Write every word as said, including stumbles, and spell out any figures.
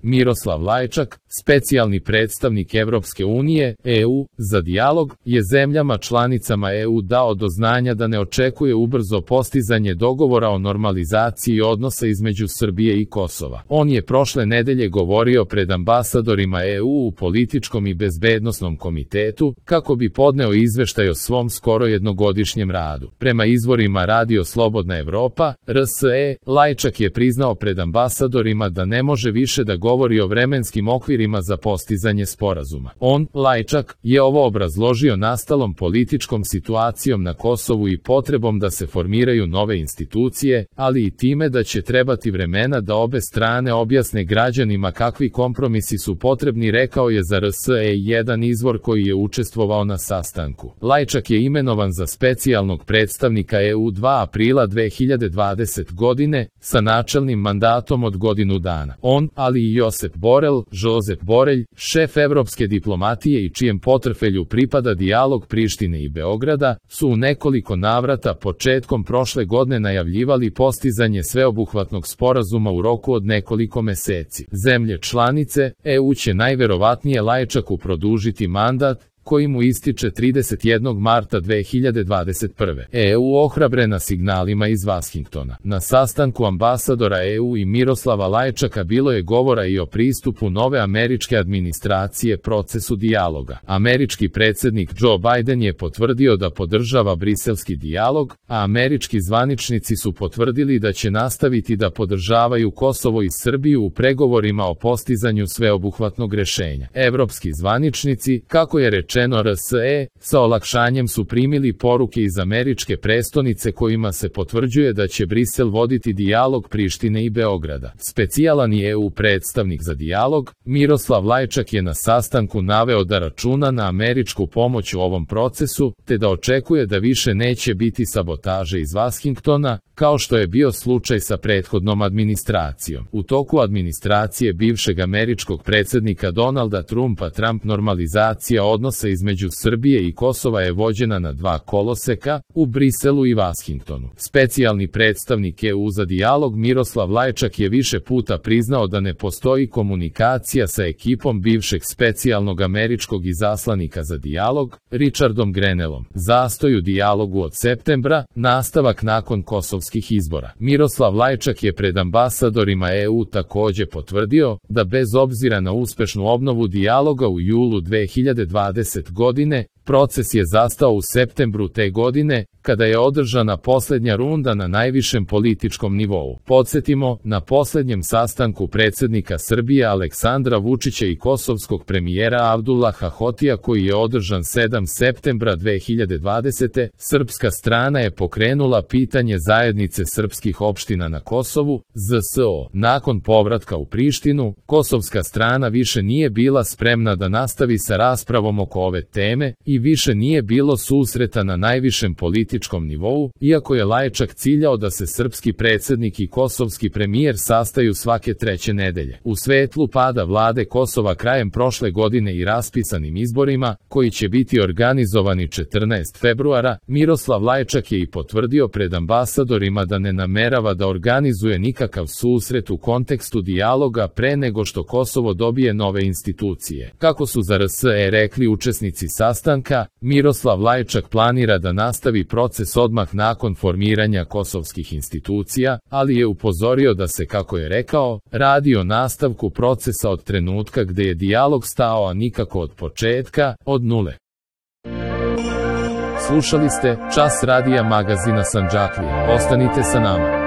Miroslav Lajčak, specijalni predstavnik Evropske unije, E U, za dijalog, je zemljama članicama E U dao do znanja da ne očekuje ubrzo postizanje dogovora o normalizaciji odnosa između Srbije i Kosova. On je prošle nedelje govorio pred ambasadorima E U u političkom i bezbednosnom komitetu, kako bi podneo izveštaj o svom skoro jednogodišnjem radu. Prema izvorima Radio Slobodna Evropa, R S E, Lajčak je priznao pred ambasadorima da ne može više da govori o vremenskim okvirima za postizanje sporazuma. On, Lajčak, je ovo obrazložio nastalom političkom situacijom na Kosovu i potrebom da se formiraju nove institucije, ali i time da će trebati vremena da obe strane objasne građanima kakvi kompromisi su potrebni, rekao je za R S E jedan izvor koji je učestvovao na sastanku. Lajčak je imenovan za specijalnog predstavnika E U dva aprila dve hiljade dvadesete godine sa načelnim mandatom od godinu dana. On, ali i Josep Borel, Žozep Borelj, šef evropske diplomatije i čijem portfelju pripada dijalog Prištine i Beograda, su u nekoliko navrata početkom prošle godine najavljivali postizanje sveobuhvatnog sporazuma u roku od nekoliko meseci. Zemlje članice E U će najverovatnije Lajčaku produžiti mandat, koji mu ističe trideset jednog marta dve hiljade dvadeset prve. E U ohrabrena signalima iz Vašingtona. Na sastanku ambasadora E U i Miroslava Lajčaka bilo je govora i o pristupu nove američke administracije procesu dijaloga. Američki predsjednik Joe Biden je potvrdio da podržava briselski dijalog, a američki zvaničnici su potvrdili da će nastaviti da podržavaju Kosovo i Srbiju u pregovorima o postizanju sveobuhvatnog rešenja. Evropski zvaničnici, kako je rečeno R S E, sa olakšanjem su primili poruke iz američke prestonice kojima se potvrđuje da će Brisel voditi dijalog Prištine i Beograda. Specijalan E U predstavnik za dijalog, Miroslav Lajčak je na sastanku naveo da računa na američku pomoć u ovom procesu, te da očekuje da više neće biti sabotaže iz Vašingtona, kao što je bio slučaj sa prethodnom administracijom. U toku administracije bivšeg američkog predsjednika Donalda Trumpa Trump normalizacija odnosa između Srbije i Kosova je vođena na dva koloseka, u Briselu i Vašingtonu. Specijalni predstavnik E U za dijalog Miroslav Lajčak je više puta priznao da ne postoji komunikacija sa ekipom bivšeg specijalnog američkog izaslanika za dijalog, Richardom Grenellom. Zastoj u dijalogu od septembra, nastavak nakon kosovskih izbora. Miroslav Lajčak je pred ambasadorima E U takođe potvrdio da bez obzira na uspešnu obnovu dijaloga u julu dve hiljade dvadesete godine, proces je zastao u septembru te godine, kada je održana posljednja runda na najvišem političkom nivou. Podsjetimo, na posljednjem sastanku predsjednika Srbije Aleksandra Vučića i kosovskog premijera Abdullaha Hotija koji je održan sedmog septembra dve hiljade dvadesete. srpska strana je pokrenula pitanje zajednice srpskih opština na Kosovu, Z S O. Nakon povratka u Prištinu, kosovska strana više nije bila spremna da nastavi sa raspravom oko ove teme i više nije bilo susreta na najvišem političkom nivou, iako je Lajčak ciljao da se srpski predsjednik i kosovski premijer sastaju svake treće nedelje. U svetlu pada vlade Kosova krajem prošle godine i raspisanim izborima, koji će biti organizovani četrnaestog februara, Miroslav Lajčak je i potvrdio pred ambasadorima da ne namerava da organizuje nikakav susret u kontekstu dijaloga pre nego što Kosovo dobije nove institucije. Kako su za R S E rekli učesnici sastanka, Miroslav Lajčak planira da nastavi proces odmah nakon formiranja kosovskih institucija, ali je upozorio da se, kako je rekao, radi o nastavku procesa od trenutka gde je dijalog stao, a nikako od početka, od nule. Slušali ste Čas radija magazina Sandžaklije. Ostanite sa nama.